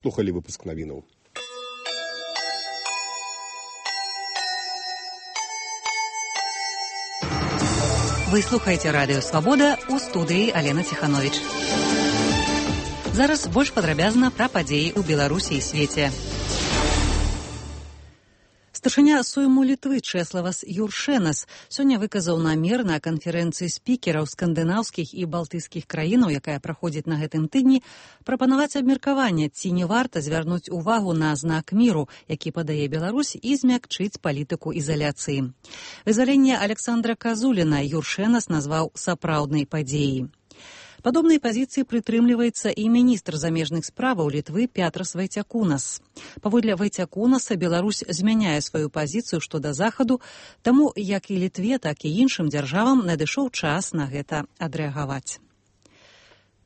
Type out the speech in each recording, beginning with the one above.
Слухали выпуск навінаў. Вы слухаеце радыё «Свабода», у студыі Алена Ціхановіч. Зараз больш падрабязна пра падзеі ў Беларусі і свеце. Старшыня Сойму Літвы Чэславас Юршэнас сёння выказаў намер на канферэнцыі спікераў скандынаўскіх і балтыйскіх краінаў, якая праходзіць на гэтым тыдні, прапанаваць абмеркаванне, ці не варта звярнуць увагу на знак міру, які падае Беларусь, і змякчыць палітыку ізаляцыі. Вызваленне Александра Казуліна Юршэнас назваў сапраўднай падзеяй. Падобнай пазіцыі прытрымліваецца і міністр замежных справаў Літвы Пятрас Вайцякунас. Паводле Вайцякунаса Беларусь змяняе сваю пазіцыю што да захаду, таму як і Літве, так і іншым дзяржавам надышоў час на гэта адрэагаваць.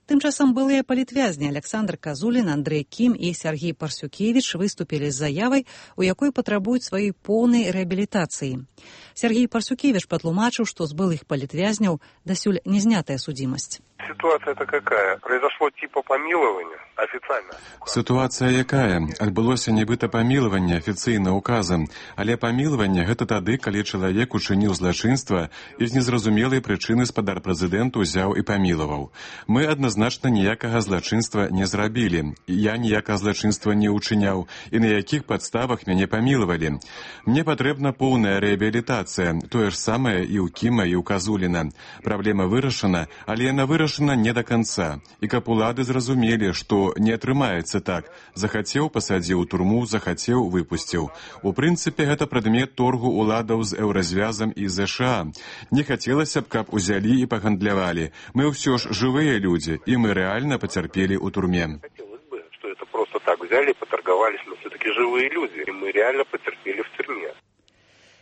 Тым часам былыя палітвязні Александр Казулін, Андрэй Кім і Сергей Парсюкевіч выступілі з заявай, у якой патрабуюць сваёй поўнай рэабілітацыі. Сергей Парсюкевич патлумачыў, што з былых палітвязняў дасюль не знятая судзімасць. Ситуация-то какая? Произошло типа помилования официально? Ситуация якая? Адбылося нібыта памілаванне афіцыйна указам, але памілаванне гэта тады, калі чалавек учыніў злачынства і з незразумелай прычыны спадар прэзідэнту ўзяў і памілаваў. Мы адназначна ніякага злачынства не зрабілі. Я ніякага злачынства не ўчыняў і на якіх падставах мяне памілавалі. Мне патрэбна поўная рэабілітацыя, тое ж самае і ў Кіма, і ў Казуліна. Праблема вырашана, але яна вырашана не да канца. І каб улады зразумелі, што не атрымаецца так. Захацеў, пасадзіў у турму, захацеў, выпусціў. У прынцыпе, гэта прадмет торгу уладаў з Еўразвязам і ЗША. Не хацелася б, каб узялі і пагандлявалі. Мы ўсё ж жывыя людзі, і мы рэальна пацярпелі ў турме. Хотелось бы, что это просто так взяли, поторговались, но все-таки живые люди, и мы реально потерпели в тюрьме.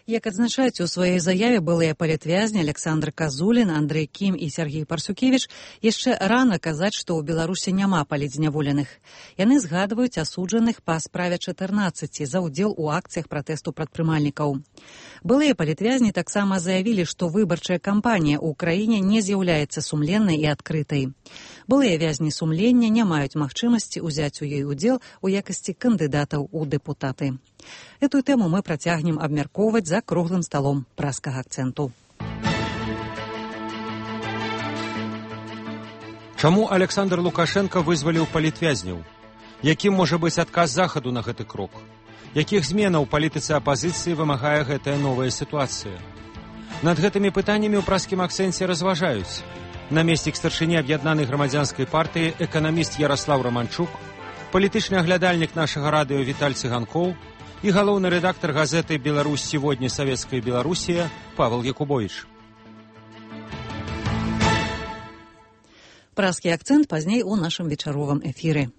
Як адзначаюць у сваёй заяве былыя палітвязні Александр Казулін, Андрэй Кім і Сергей Парсюкевіч, яшчэ рана казаць, што ў Беларусі няма палітзняволеных. Яны згадваюць асуджаных па справе 14 за ўдзел у акцыях пратэсту прадпрымальнікаў. Былыя палітвязні таксама заявілі, што выбарчая кампанія ў краіне не з'яўляецца сумленнай і адкрытай. Былыя вязні сумлення не маюць магчымасці ўзяць у ёй удзел у якасці кандыдатаў у дэпутаты. Эту тэму мы працягнем абмяркоўваць за круглым сталом праскага акцэнту. Чаму Александр Лукашенко вызваліў палітвязняў? Якім можа быць адказ захаду на гэты крок? Якіх зменаў палітыцы апазіцыі вымагае гэтая новая сітуацыя? Над гэтымі пытаннямі ў праскім акцэнце разважаюць намеснік старшыні аб'яднанай грамадзянскай партыі эканаміст Яраслаў Раманчук, палітычны аглядальнік нашага радыё Віталь Цыганкоў і галоўны рэдактар газеты «Беларусь сегодня. Советская Белоруссия» Павел Якубович. Праскі акцэнт пазней у нашым вечаровым эфіры.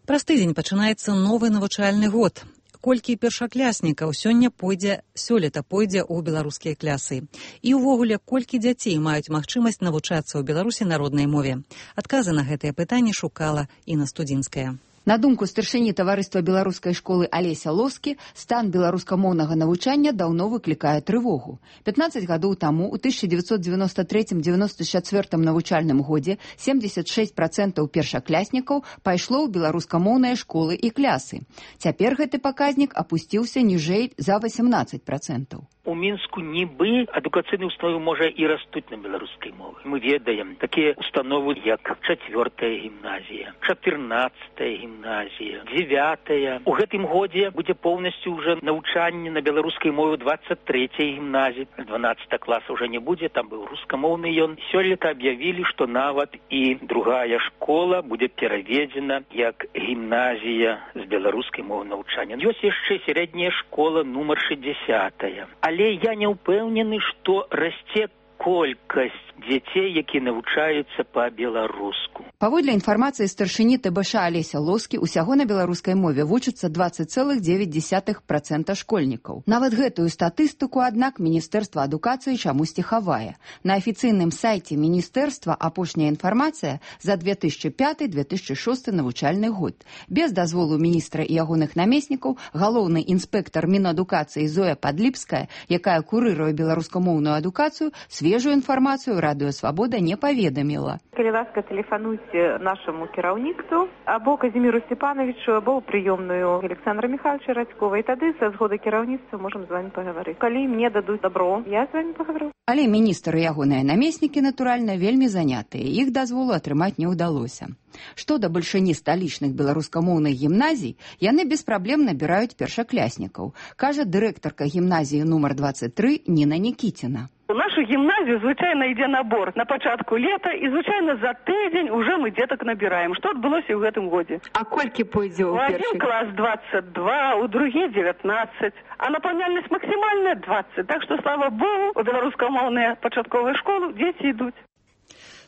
Праз тыдзень пачынаецца новы навучальны год. Колькі першакляснікаў сёлета пойдзе ў беларускія клясы? І ўвогуле, колькі дзяцей маюць магчымасць навучацца ў Беларусі на роднай мове? Адказы на гэтыя пытанні шукала Інна Студзінская. На думку старшыні таварыства беларускай школы Алеся Лоскі, стан беларускамоўнага навучання даўно выклікае трывогу. 15 гадоў таму, у 1993-94 навучальным годзе, 76% першакляснікаў пайшло ў беларускамоўныя школы і клясы. Цяпер гэты паказнік апусціўся ніжэй за 18%. У Мінску нібы адукацыйныя установы можа і растуць на беларускай мове. Мы ведаем такія установы, як 4-я гімназія, 14-я гімназія, 9-я. У гэтым годзе будзе поўнасцю ўжо навучанне на беларускай мове 23-й гімназіі. 12 класа ўжо не будзе, там быў рускамоўны ён. Сёлета аб'явілі, што нават і другая школа будзе пераведзена як гімназія з беларускай мовы навучання. Ёсць яшчэ сярэдняя школа нумар 60-я. Але я не ўпэўнены, што расце колькасць дзяцей, які навучаюцца па-беларуску. Паводле інфармацыі старшыні ТБШ Алеся Лоскі, усяго на беларускай мове вучацца 20,9% школьнікаў. Нават гэтую статыстыку, аднак, Міністэрства адукацыі чамусьці хавае. На афіцыйным сайце міністэрства апошняя інфармацыя за 2005-2006 навучальны год. Без дазволу міністра і ягоных намеснікаў галоўны інспектар Мінадукацыі Зоя Падліпская, якая курыруе беларускамоўную адукацыю, свежую інфармацыю Радыё Свабода не паведаміла. Калі ласка, тэлефануйце нашаму кіраўніцтву або Казіміру Степановичу, або ў прыёмную Александра Михайловича Радькова, і тады са згоды кіраўніцтва можам з вами пагаварыць. Калі мне дадуць добро, я з вами пагавару. Але міністр і ягоныя намеснікі, натуральна, вельмі занятыя. Іх дазволу атрымаць не ўдалося. Што да бальшыні сталічных беларускамоўных гімназій, яны без праблем набіраюць першакляснікаў, кажа дырэктарка гімназіі нумар 23 Ніна Нікіціна. У нашу гімназію, звычайна, ідзе набор на пачатку лета, і, звычайна, за тыдзень уже мы дзетак набіраем. Што адбылося ў гэтым годзе? А колькі пойдзе ў першы? У адзін клас 22, у другі 19, а напаўняльнасць максімальная 20. Так што, слава Богу, у беларускамоўныя пачатковыя школы дзеці ідуць.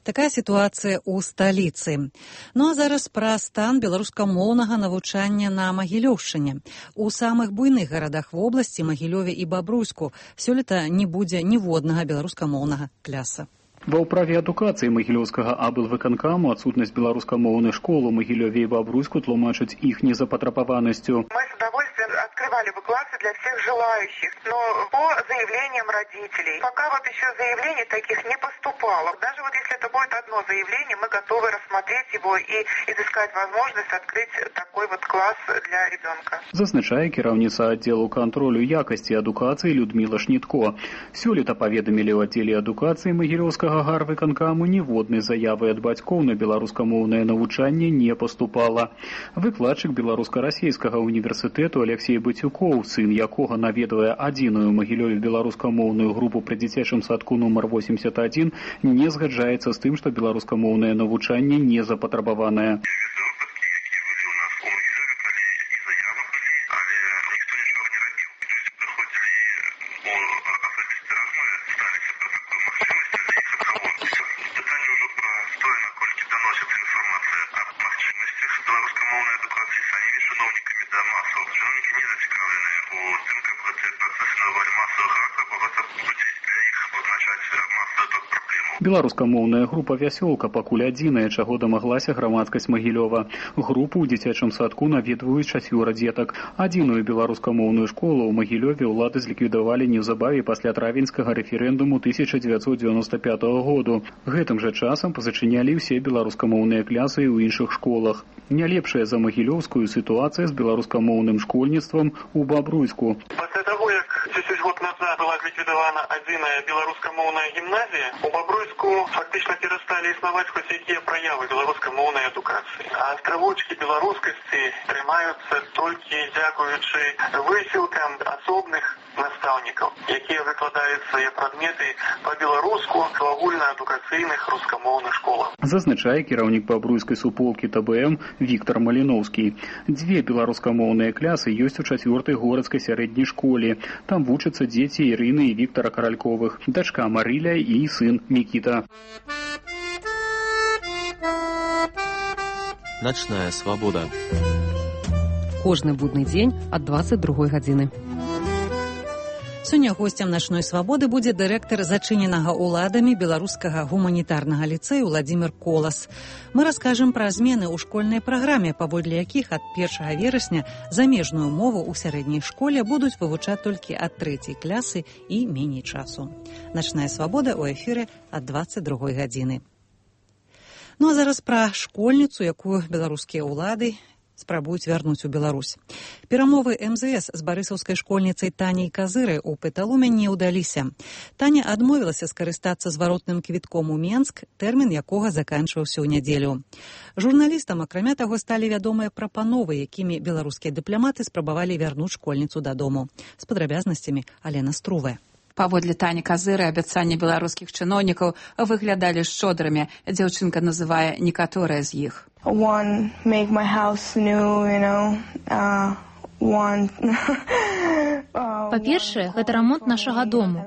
Такая сітуацыя ў сталіцы. Ну а зараз пра стан беларускамоўнага навучання на Магілёўшчыне. У самых буйных гарадах вобласці, Магілёве і Бабруйску, сёлета не будзе ніводнага беларускамоўнага кляса. Ва ўправе адукацыі Магілёўскага аблвыканкаму адсутнасць беларускамоўных школ у Магілёве і Бабруйску тлумачаць іх незапатрабаванасцю. Мы с удовольствием открывали бы классы для всех желающих, но по заявлениям родителей. Пока вот еще заявлений таких не поступало. Даже вот если это будет одно заявление, мы готовы рассмотреть его и изыскать возможность открыть такой вот класс для ребенка. Зазначае кіраўніца аддзелу кантролю якасці адукацыі Людміла Шнітко. Сёлета паведамілі ў аддзеле адукацыі Магілёўскага гарвыканкаму ніводнай заявы ад бацькоў на беларускамоўнае навучанне не паступала. Выкладчык беларуска-расейскага універсітэту Алексей Бацюкоў, сын якога наведвае адзіную Магілёве беларускамоўную групу пры дзіцячым садку нумар 81, не згаджаецца з тым, што беларускамоўнае навучанне не запатрабаванае. Беларускамоўная група «Вясёлка» пакуль адзіная, чаго дамаглася грамадскасць Магілёва. Групу ў дзіцячым садку наведваюць 4 дзетак. Адзіную беларускамоўную школу ў Магілёве ўлады зліквідавалі неўзабаве пасля травеньскага рэферэндуму 1995 году. Гэтым жа часам пазачынялі ўсе беларускамоўныя клясы ў іншых школах. Не лепшая за магілёўскую сітуацыя з беларускамоўным школьніцтвам у Бабруйску. Пасля таго, як 10 год назад была ліквідавана адзіная беларускамоўная гімназія, у Бабруйску фактычна перасталі існаваць хоць якія праявы беларускамоўнай адукацыі. А астравочкі беларускасці трымаюцца толькі дзякуючы высілкам асобных настаўнікаў, якія выкладаюць свае прадметы па-беларуску в агульнаадукацыйных рускамоўных школах. Зазначае кіраўнік бабруйскай суполкі ТБМ Віктор Маліноўскі. 2 беларускамоўныя клясы ёсць у 4-й горадскай сярэдняй школе. Там вучацца дзеці Ірыны і Віктора Каральковых, дачка Марыля і сын Мікіта. Начная свабода. Кожны будны дзень ад 22 гадзіны. Сёння госцем начной свабоды будзе дырэктар зачыненага ўладамі беларускага гуманітарнага ліцэю Владзімір Колас. Мы раскажам пра змены ў школьнай праграме, паводле якіх ад 1 верасня замежную мову ў сярэдняй школе будуць вывучаць толькі ад 3-й класы і меней часу. Начная свабода ў эфіры ад 22 гадзіны. Ну а зараз пра школьніцу, якую беларускія ўлады спрабуюць вярнуць у Беларусь. Перамовы МЗС з барысаўскай школьніцай Таняй Казырай у Петалуме не ўдаліся. Таня адмовілася скарыстацца зваротным квітком у Менск, тэрмін якога заканчваўся ў нядзелю. Журналістам, акрамя таго, сталі вядомыя прапановы, якімі беларускія дыпламаты спрабавалі вярнуць школьніцу дадому. З падрабязнасцямі Алена Струве. Паводле Тані Казыры абяцанні беларускіх чыноўнікаў выглядалі шчодрымі. Дзяўчынка называе некаторыя з іх. One, make my house new, you know, Па-першае, гэта рамонт нашага дому.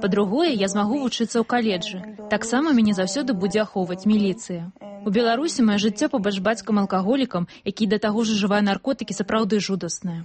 Па-другое, я змагу вучыцца ў каледжы. Таксама мяне заўсёды будзе ахоўваць міліцыя. У Беларусі маё жыццё побач бацькам-алкаголікам, які да таго ж ужывае наркотыкі, сапраўды жудаснае.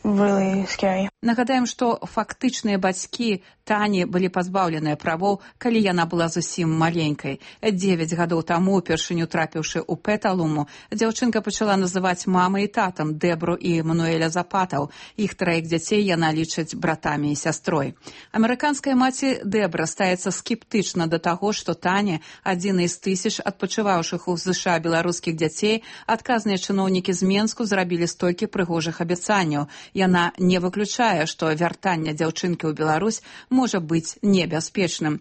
really scary. Нагадаем, што фактычныя бацькі Тані былі пазбаўленыя правоў, калі яна была зусім маленькай. 9 гадоў таму, упершыню трапіўшы ў Петалуму, дзяўчынка пачала называць мамай і татам Дэбру і Мануэля Запатаў. Іх 3 дзяцей яна лічыць братамі і сястрой. Амерыканская маці Дэбра стаецца скептычна да таго, што Таня, адзіны з тысяч адпачываўшых у ЗША беларускіх дзяцей, адказныя чыноўнікі з Менску зрабілі столькі прыгожых абяцанняў. Яна не выключае, што вяртанне дзяўчынкі ў Беларусь можа быць небяспечным.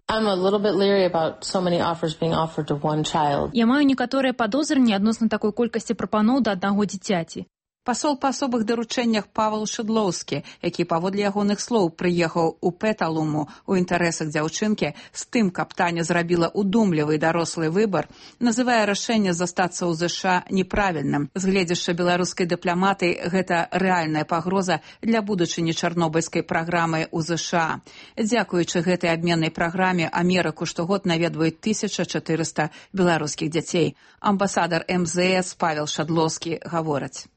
Я маю некаторыя падозры адносна такой колькасці прапаноў да аднаго дзіцяці. Пасол па асобых даручэннях Павел Шыдлоўскі, які паводле ягоных слоў прыехаў у Петалуму ў інтарэсах дзяўчынкі з тым, каб Таня зрабіла удумлівы дарослы выбар, называе рашэнне застацца ў ЗША неправільным. З гледзяшча беларускай дыпламатыі гэта рэальная пагроза для будучыні чарнобыльскай праграмы ў ЗША. Дзякуючы гэтай абменнай праграме Амерыку штогод наведваюць 1400 беларускіх дзяцей. Амбасадар МЗС Павел Шадлоўскі гаворыць.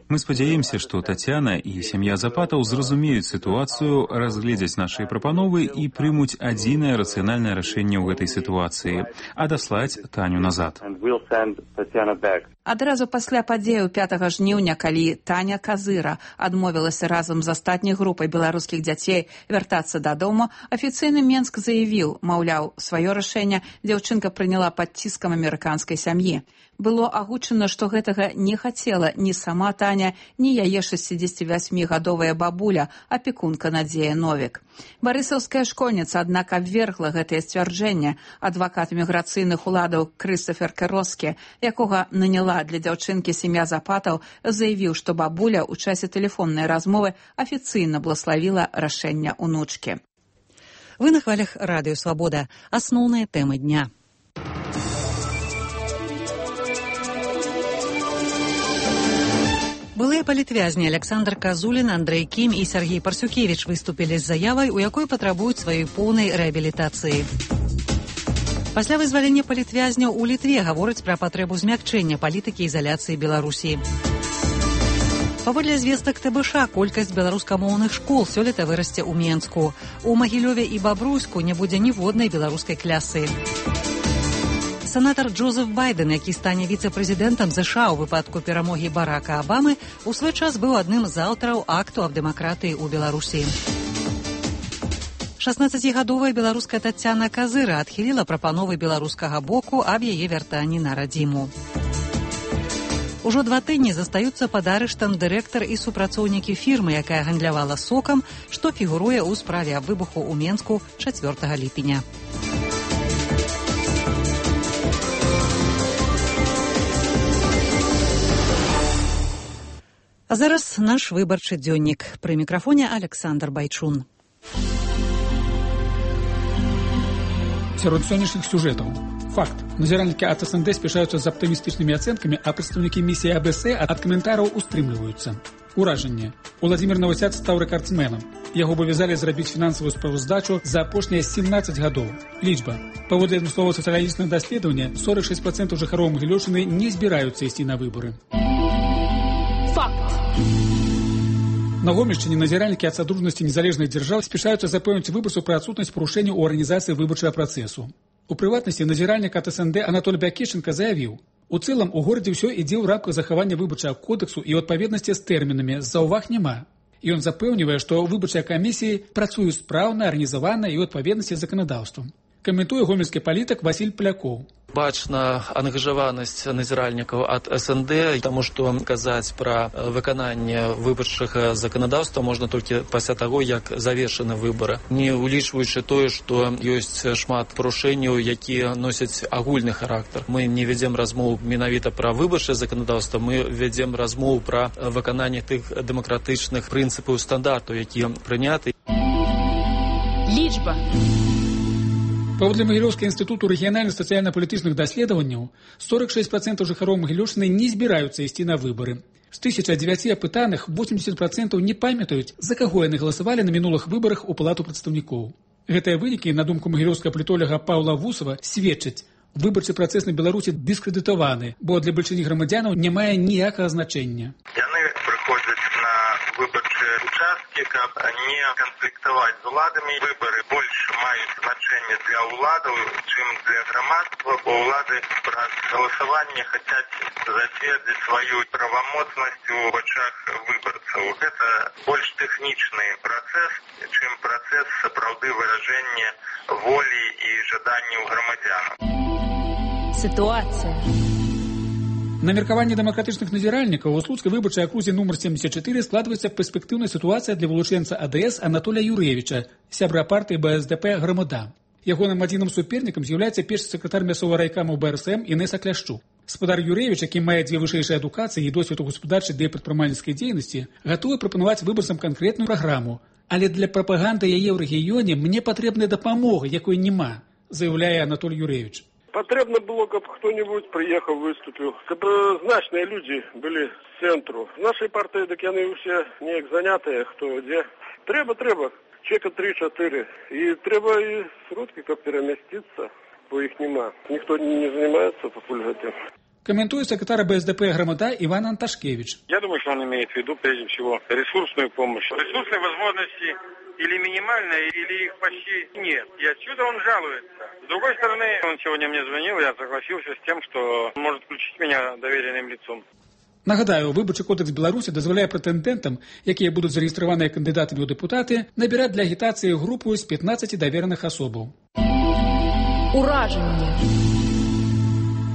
Мы спадзяемся, што Тацяна і сям'я Запатаў зразумеюць сітуацыю, разгледзяць нашыя прапановы і прымуць адзінае рацыянальнае рашэнне ў гэтай сітуацыі, а даслаць Таню назад. Адразу пасля падзеяў 5 жніўня, калі Таня Казыра адмовілася разам з астатняй групай беларускіх дзяцей вяртацца дадому, афіцыйны Менск заявіў, маўляў, сваё рашэнне дзяўчынка прыняла пад ціскам амерыканскай сям'і. Было агучана, што гэтага не хацела ні сама Таня, ні яе 68-гадовая бабуля, апекунка Надзея Новік. Барысаўская школьніца, аднак, абвергла гэтае сцвярджэнне. Адвакат міграцыйных уладаў Крыстафер Кероскі, якога наняла для дзяўчынкі сям'я Запатаў, заявіў, што бабуля ў часе тэлефоннай размовы афіцыйна блаславіла рашэнне ўнучкі. Вы на хвалях Радыё Свабода. Асноўныя тэмы дня. Былыя палітвязні Александр Казулін, Андрэй Кім і Сергей Парсюкевіч выступілі з заявай, у якой патрабуюць сваёй поўнай рэабілітацыі. Пасля вызвалення палітвязняў у Літве гавораць пра патрэбу змякчэння палітыкі ізаляцыі Беларусі. Паводле звестак ТБШ, колькасць беларускамоўных школ сёлета вырасце ў Менску. У Магілёве і Бабруйску не будзе ніводнай беларускай клясы. Сенатар Джозеф Байден, які стане віцэ-прэзідэнтам ЗША ў выпадку перамогі Барака Абамы, у свой час быў адным з аўтараў акту аб дэмакратыі ў Беларусі. 16-гадовая беларуская Тацяна Казыра адхіліла прапановы беларускага боку аб яе вяртанні на радзіму. Ужо 2 тыдні застаюцца пад арыштам дырэктар і супрацоўнікі фірмы, якая гандлявала сокам, што фігуруе ў справе аб выбуху ў Менску 4 ліпеня. А зараз наш выбарчы дзённік. Пры мікрафоне Александр Байчун. Сярод сённяшніх сюжэтаў. Факт. Назіральнікі ад СНД спяшаюцца з аптымістычнымі ацэнкамі, а прадстаўнікі місіі АБС ад каментараў устрымліваюцца. Уражанне. Уладзімір Навосяд стаў рэкардсменам. Яго абавязалі зрабіць фінансавую справаздачу за апошнія 17 гадоў. Лічба. Паводле адмысловага сацыялагічнага даследавання, 46% жыхароў Магілёўшчыны не збіраюцца ісці на выбары. На Гомельшчыне назіральнікі ад Садружнасці незалежных дзяржаў спяшаюцца запэўніць выбарцаў пра адсутнасць парушэнняў у арганізацыі выбарчага працэсу. У прыватнасці, назіральнік ад СНД Анатоль Бякешенка заявіў, у цэлым у горадзе ўсё ідзе ў рамках захавання выбарчага кодексу і ў адпаведнасці з тэрмінамі, заўваг няма. Ён запэўнівае, што выбарчыя камісіі працуюць спраўна, арганізавана і ў адпаведнасці з заканадаўствам. Каментуе гомельскі палітык Васіль Палякоў. Бачна ангажаванасць назіральнікаў ад СНД, таму што казаць пра выкананне выбарчага заканадаўства можна толькі пасля таго, як завершаны выбары. Не улічваючы тое, што ёсць шмат парушэнняў, якія носяць агульны характар. Мы не вядзем размоў менавіта пра выбарчае заканадаўства, мы вядзем размоў пра выкананне тых дэмакратычных прынцыпаў стандартаў, якія прыняты. Лічба. Паводле Магілёўскага інстытуту рэгіянальных сацыяльна-палітычных даследаванняў, 46% жыхароў Магілёўшчыны не збіраюцца ісці на выбары. З 1009 апытаных 80% не памятаюць, за каго яны галасавалі на мінулых выбарах у Палату прадстаўнікоў. Гэтыя вынікі, на думку магілёўскага палітолага Паўла Вусава, сведчаць, Выбарчы працэс на Беларусі дыскрэдытаваны, бо для бальшыні грамадзянаў не мае ніякага значэння. Яны прыходзяць на выбарчыя участкі, каб не канфліктаваць з уладамі. Выбары больш маюць значэнне для ўладаў, чым для грамадства, бо ўлады праз галасаванне хацяць зацвердзіць сваю правамоцнасць у вачах выбарцаў. Гэта больш тэхнічны працэс, чым працэс сапраўды выражэння волі і жаданняў грамадзянаў. Ситуация. На меркаванне дэмакратычных назіральнікаў у слуцкай выбарчай акрузе нумар 74 складваецца перспектыўная сітуацыя для вылучэнца АДС Анатолія Юрэвіча, сябра партыі БСДП «Грамада». Ягоным адзіным супернікам з'яўляецца першы сакратар мясцовага райкаму БРСМ Інеса Кляшчук. Спадар Юрэвіч, які мае 2 вышэйшыя адукацыі і досвед у гаспадарчай ды прадпрымальніцкай дзейнасці, гатовы прапанаваць выбарцам канкрэтную праграму. Але для прапаганды яе ў рэгіёне мне патрэбная дапамога, якой няма, заяўляе Анатолій Юрэвіч. Потребно было, каб кто-нибудь приехал, выступил, каб значные люди были с центру. В нашей партии, так яны все неяк занятые, кто где. Треба. Чека 3-4. И треба и сродки, как переместиться, бо их нема. Никто не занимается популярностью. Комментует секретарь БСДП «Громада» Иван Анташкевич. Я думаю, что он имеет в виду прежде всего ресурсную помощь. Ресурсные возможности или минимальные, или их почти нет. И отсюда он жалуется. С другой стороны, он сегодня мне звонил, я согласился с тем, что может включить меня доверенным лицом. Нагадаю, выбарчы кодекс Беларусі дазваляе прэтэндэнтам, якія будуць зарэгістраваныя кандыдатамі ў дэпутаты, набіраць для агітацыі групу з 15 давераных асобаў. Уражанне.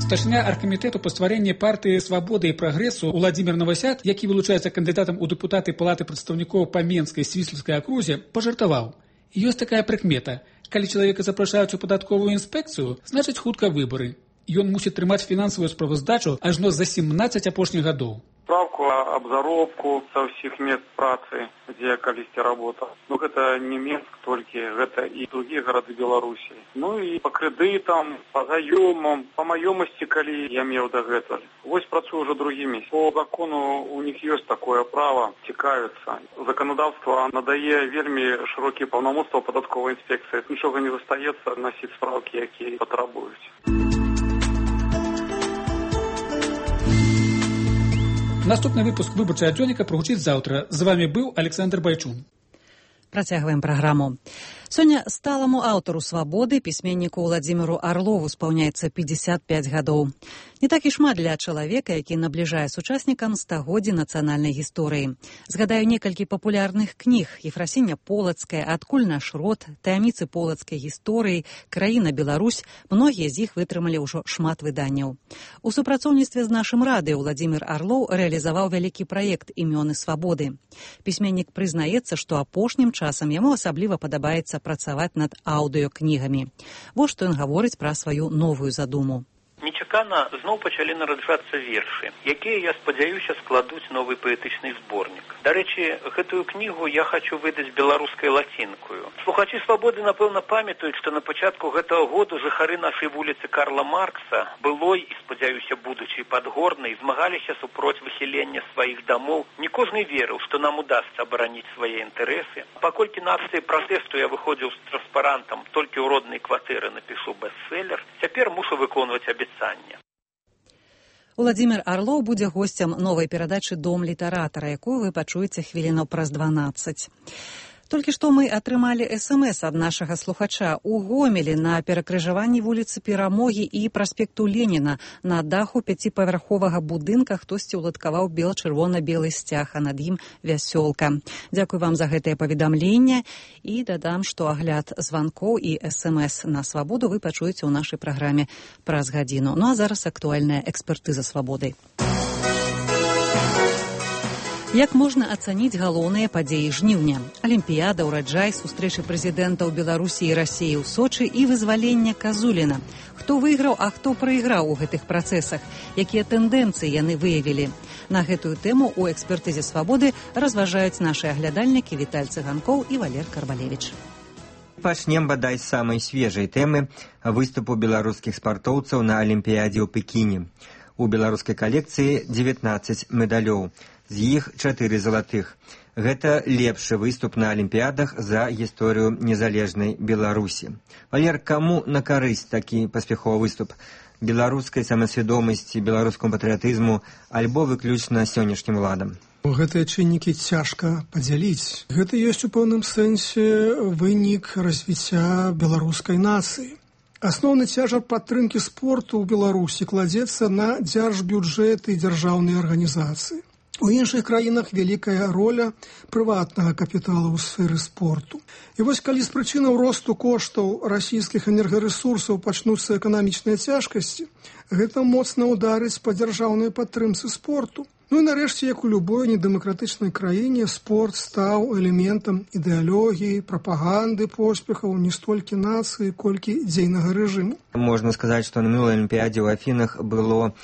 Старшыня аргкамітэту па стварэнні партыі «Свабода» і «Прагрэсу» Уладзімір Навасяд, які вылучаецца кандыдатам у дэпутаты Палаты прадстаўнікоў па Менскай свіслаўскай акрузе, пажартаваў. Ёсць такая прыкмета. Калі чалавека запрашаюць у падатковую інспекцыю, значыць хутка выбары. Ён мусіць трымаць фінансавую справаздачу ажно за 17 апошніх гадоў. Справку об заробку со всех мест працы, где я колись работал. Ну, это не Минск только, это и другие города Беларуси. Ну, и по кредитам, по заемам, по маёмости, коли я имел до этого. Вось працую уже другими. По закону у них есть такое право, текаются. Законодавство надае вельми широкие полномочия податковой инспекции. Ничего не застаецца носить справки, какие потребуют. Наступны выпуск выбарчага дзённіка прагучыць заўтра. З вами быў Александр Байчун. Працягваем праграму. Сёння сталаму аўтару «Свабоды» пісьменніку Уладзіміру Арлову спаўняецца 55 гадоў. Не так і шмат для чалавека, які набліжае сучаснікам стагоддзі нацыянальнай гісторыі. Згадаю некалькі папулярных кніг: «Ефрасіня Полацкая», «Адкуль наш род», «Таямніцы полацкай гісторыі», «Краіна Беларусь». Многія з іх вытрымалі ўжо шмат выданняў. У супрацоўніцтве з нашым радыё Уладзімір Арлоў рэалізаваў вялікі праект «Імёны свабоды». Пісьменнік прызнаецца, што апошнім часам яму асабліва падабаецца працаваць над аўдыёкнігамі. Вось што ён гаворыць пра сваю новую задуму. Нечакана зноў пачалі нараджацца вершы, якія, я спадзяюся, складуць новы паэтычны зборнік. Дарэчы, гэтую кнігу я хачу выдаць беларускай лацінкаю. Слухачы «Свабоды», напэўна, памятаюць, што на пачатку гэтага году жыхары нашай вуліцы Карла Маркса, былой і, спадзяюся, будучай Падгорнай, змагаліся супроць выхілення сваіх дамоў. Не кожны верыў, што нам удасца абараніць свае інтарэсы. Паколькі на акцыі пратэсту я выходзіў з транспарантам «Толькі ў роднай кватэры напішу бестселлер», цяпер мушу выконваць абяцанне. Уладзімір Арлоў будзе госцем новай перадачы «Дом літаратара», якую вы пачуеце хвілінаў праз 12. Толькі што мы атрымалі СМС ад нашага слухача. У Гомелі на перакрыжаванні вуліцы Перамогі і праспекту Леніна на даху 5павярховага будынка хтосьці ўладкаваў бела-чырвона-белы сцяг, а над ім вясёлка. Дзякуй вам за гэтае паведамленне і дадам, што агляд званкоў і СМС на «Свабоду» вы пачуеце ў нашай праграме праз гадзіну. Ну а зараз актуальная экспертыза «Свабоды». Як можна ацаніць галоўныя падзеі жніўня? Алімпіяда, ураджай, сустрэчы прэзідэнтаў Беларусі і Расіі ў Сочы і вызвалення Казуліна. Хто выйграў, а хто прайграў у гэтых працэсах? Якія тэндэнцыі яны выявілі? На гэтую тэму ў экспертызе «Свабоды» разважаюць нашы аглядальнікі Віталь Цыганкоў і Валер Карбалевіч. Пачнем бадай з самай свежай тэмы выступу беларускіх спартоўцаў на Алімпіядзе ў Пекіне. У беларускай калекцыі 19 медалёў. З іх 4 залатых. Гэта лепшы выступ на алімпіядах за гісторыю незалежнай Беларусі. Валер, каму на карысць такі паспяховы выступ? Беларускай самасвядомасці, беларускаму патрыятызму альбо выключна сённяшнім уладам? Гэтыя чыннікі цяжка падзяліць. Гэта ёсць у пэўным сэнсе вынік развіцця беларускай нацыі. Асноўны цяжар падтрымкі спорту ў Беларусі кладзецца на дзяржбюджэт і дзяржаўныя арганізацыі. У іншых краінах вялікая роля прыватнага капіталу ў сферы спорту. І вось калі з прычынаў росту коштаў расійскіх энергарэсурсаў пачнуцца эканамічныя цяжкасці, гэта моцна ўдарыць па дзяржаўнай падтрымцы спорту. Ну і нарэшце, як у любой недэмакратычнай краіне, спорт стаў элементам ідэалогіі, прапаганды поспехаў не столькі нацыі, колькі дзейнага рэжыму. Можна сказаць, што на мінулай алімпіядзе ў Афінах было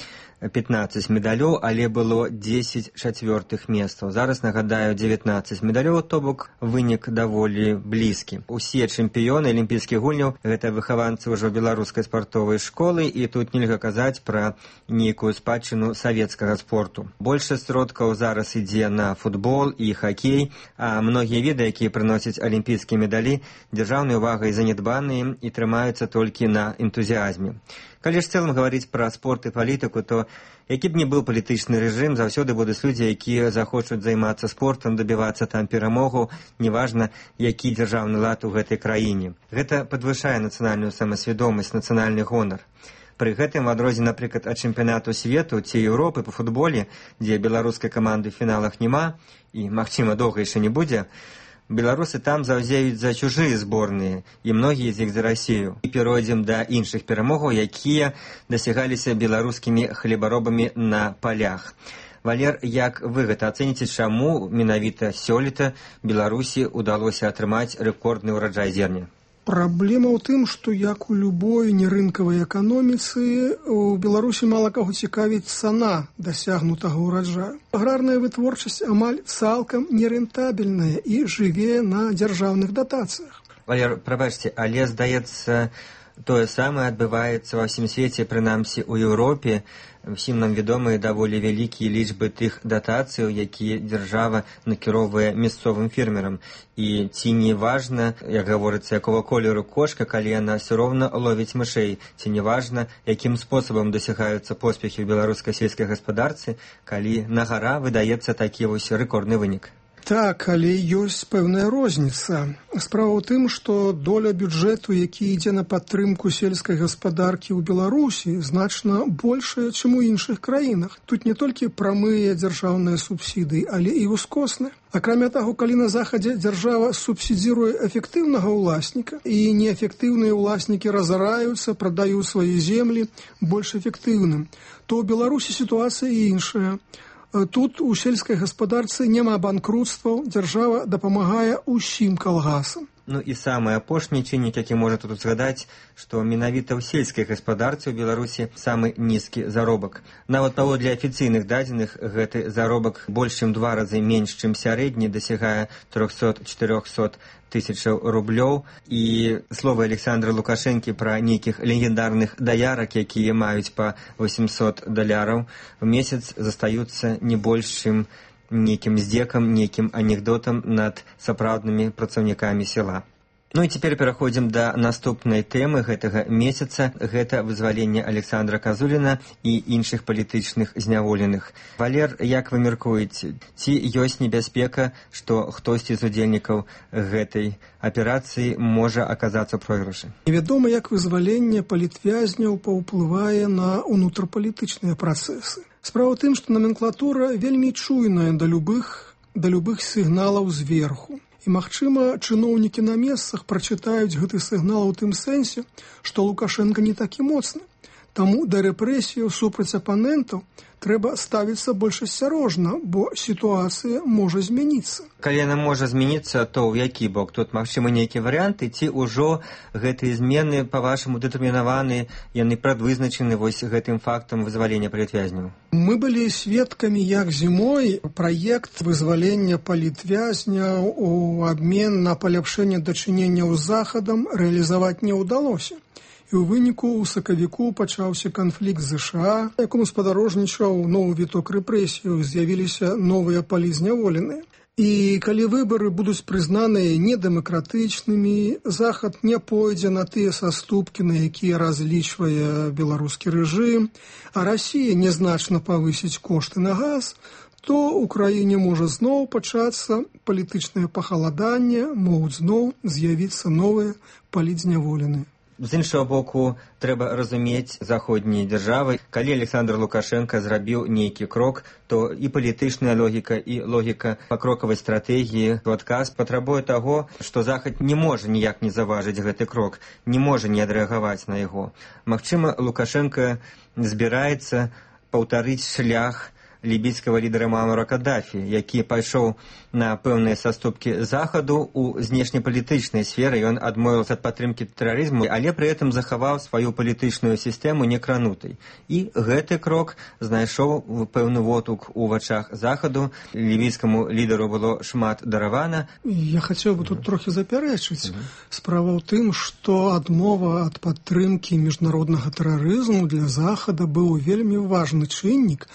15 медалёў, але было 10 чацвёртых месцаў. Зараз, нагадаю, 19 медалёў, то бок вынік даволі блізкі. Усе чэмпіёны алімпійскіх гульняў – гэта выхаванцы ўжо беларускай спартовай школы, і тут нельга казаць пра нейкую спадчыну савецкага спорту. Большасць сродкаў зараз ідзе на футбол і хакей, а многія віды, якія прыносяць алімпійскія медалі, дзяржаўнай увагай занядбаныя і трымаюцца толькі на энтузіазме. Калі ж цэлым гаварыць пра спорт і палітыку, то які б ні быў палітычны рэжым, заўсёды будуць людзі, якія захочуць займацца спортам, дабівацца там перамогу, неважна, які дзяржаўны лад у гэтай краіне. Гэта падвышае нацыянальную самасвядомасць, нацыянальны гонар. Пры гэтым, в адрозненне, напрыклад, ад чэмпіянату свету ці Еўропы па футболе, дзе беларускай каманды ў фіналах няма, і, магчыма, доўга яшчэ не будзе, беларусы там заўзеюць за чужыя зборныя, і многія з іх за Расію. І перайдзем да іншых перамогаў, якія дасягаліся беларускімі хлебаробамі на палях. Валер, як вы гэта ацэніце, чаму менавіта сёлета Беларусі ўдалося атрымаць рэкордны ўраджай зерня? Праблема ў тым, што як у любой нерынкавай эканоміцы, у Беларусі мала каго цікавіць цана дасягнутага ўраджаю. Аграрная вытворчасць амаль цалкам нерэнтабельная і жыве на дзяржаўных датацыях. Валер, прабачце, але, здаецца, тое самае адбываецца ва ўсім свеце, прынамсі ў Еўропе. Всім нам вядомыя даволі вялікія лічбы тых датацыяў, якія дзяржава накіроўвае мясцовым фермерам. І ці не важна, як гаворыцца, якого колеру кошка, калі яна ўсё роўна ловіць мышэй, ці не важна, якім спосабам дасягаюцца поспехі ў беларускай сельскай гаспадарцы, калі на гара выдаецца такі вось рэкордны вынік. Так, але ёсць пэўная розніца. Справа ў тым, што доля бюджэту, які ідзе на падтрымку сельскай гаспадаркі ў Беларусі, значна большая, чым у іншых краінах. Тут не толькі прамыя дзяржаўныя субсідыі, але і ускосныя. Акрамя таго, калі на захадзе дзяржава субсідзіруе эфектыўнага ўласніка, і неэфектыўныя ўласнікі разараюцца, прадаюць свае землі больш эфектыўным, то ў Беларусі сітуацыя іншая. Тут у сельскай гаспадарцы няма банкрутстваў, дзяржава дапамагае ўсім калгасам. Ну і самы апошні чыннік, які можна тут згадаць, што менавіта ў сельскай гаспадарцы ў Беларусі самы нізкі заробак. Нават паводле афіцыйных дадзеных гэты заробак больш чым 2 разы менш, чым сярэдні, дасягае 300-400 тысячаў рублёў. І словы Александра Лукашэнкі пра нейкіх легендарных даярак, якія маюць па $800 в месяц, застаюцца не больш, чым нейкім здзекам, нейкім анекдотам над сапраўднымі працаўнікамі села. Ну і цяпер пераходзім да наступнай тэмы гэтага месяца. Гэта вызваленне Александра Казуліна і іншых палітычных зняволеных. Валер, як вы мяркуеце, ці ёсць небяспека, што хтосьці з удзельнікаў гэтай аперацыі можа аказацца ў пройгрышы? Невядома, як вызваленне палітвязняў паўплывае на ўнутрапалітычныя працэсы. Справа ў тым, што номенклатура вельмі чуйная да любых сігналаў зверху. І, магчыма, чыноўнікі на месцах прачытаюць гэты сігнал у тым сэнсе, што Лукашенка не такі моцны. Таму да рэпрэсіяў супраць апанентаў трэба ставіцца больш асцярожна, бо сітуацыя можа змяніцца. Калі яна можа змяніцца, то ў які бок? Тут, магчыма, нейкія варыянты, ці ўжо гэтыя змены, па-вашаму, дэтэрмінаваны, яны прадвызначаны вось гэтым фактам вызвалення палітвязняў? Мы былі сведкамі, як зімой праект вызвалення палітвязняў у абмен на паляпшэнне дачыненняў з Захадам рэалізаваць не ўдалося. І ў выніку ў сакавіку пачаўся канфлікт з ЗША, якому спадарожнічаў новы віток рэпрэсіяў, з'явіліся новыя палізняволеныя. І калі выбары будуць прызнаныя недэмакратычнымі, Захад не пойдзе на тыя саступкі, на якія разлічвае беларускі рэжым, а Расія нязначна павысіць кошты на газ, то ў краіне можа зноў пачацца палітычнае пахаладанне, могуць зноў з'явіцца новыя палітзняволеныя. З іншого боку, трэба разумець заходнія дзяржавы. Калі Александр Лукашенко зрабіў нейкі крок, то і палітычная логіка, і логіка пакрокавай стратэгіі ў адказ патрабуе таго, што Захад не можа ніяк не заважыць гэты крок, не можа не адрэагаваць на яго. Магчыма, Лукашенко збіраецца паўтарыць шлях лібійскага лідара Муамара Каддафі, які пайшоў на пэўныя саступкі Захаду ў знешнепалітычнай сферы. Ён адмовіўся ад падтрымкі тэрарызму, але пры гэтым захаваў сваю палітычную сістэму некранутай. І гэты крок знайшоў пэўны водгук у вачах Захаду. Лівійскаму лідару было шмат даравана. Я хацеў бы тут трохі запярэчыць. Справа ў тым, што адмова ад падтрымкі міжнароднага тэрарызму для Захада быў вельмі важны чыннік.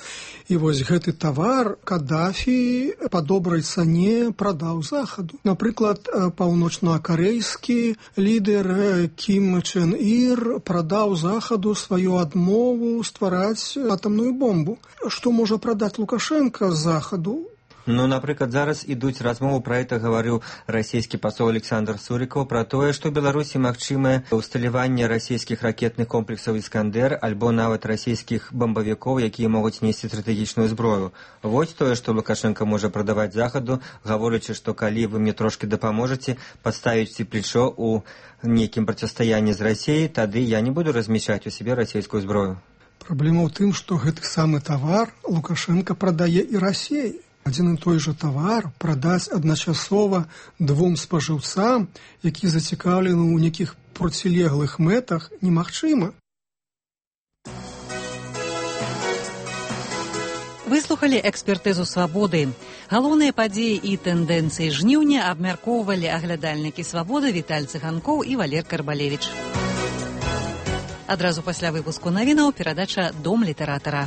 І вось гэты тавар Каддафі па добрай цане прадаў Захаду. Напрыклад, паўночнакарэйскі лідар Кім Чен Ір прадаў Захаду сваю адмову ствараць атамную бомбу. Што можа прадаць Лукашенко Захаду? Ну, напрыклад, зараз ідуць размовы, пра гэта гаварыў расійскі пасол Александр Сурікаў, пра тое, што ў Беларусі магчымае ўсталяванне расійскіх ракетных комплексаў «Іскандер» альбо нават расійскіх бамбавікоў, якія могуць несці стратэгічную зброю. Вось тое, што Лукашенко можа прадаваць Захаду, гаворачы, што калі вы мне трошкі дапаможаце паставіць плечо ў нейкім процістаянні з Расіяй, тады я не буду размяшчаць у сябе расійскую зброю. Праблема ў тым, што гэты самы тавар Лукашенко прадае і Расіяй. Адзін і той жа тавар прадаць адначасова двум спажыўцам, які зацікаўлены ў нейкіх процілеглых мэтах, немагчыма. Выслухалі экспертызу «Свабоды». Галоўныя падзеі і тэндэнцыі жніўня абмяркоўвалі аглядальнікі «Свабоды» Віталь Цыганкоў і Валер Карбалевіч. Адразу пасля выпуску навінаў перадача «Дом літаратара».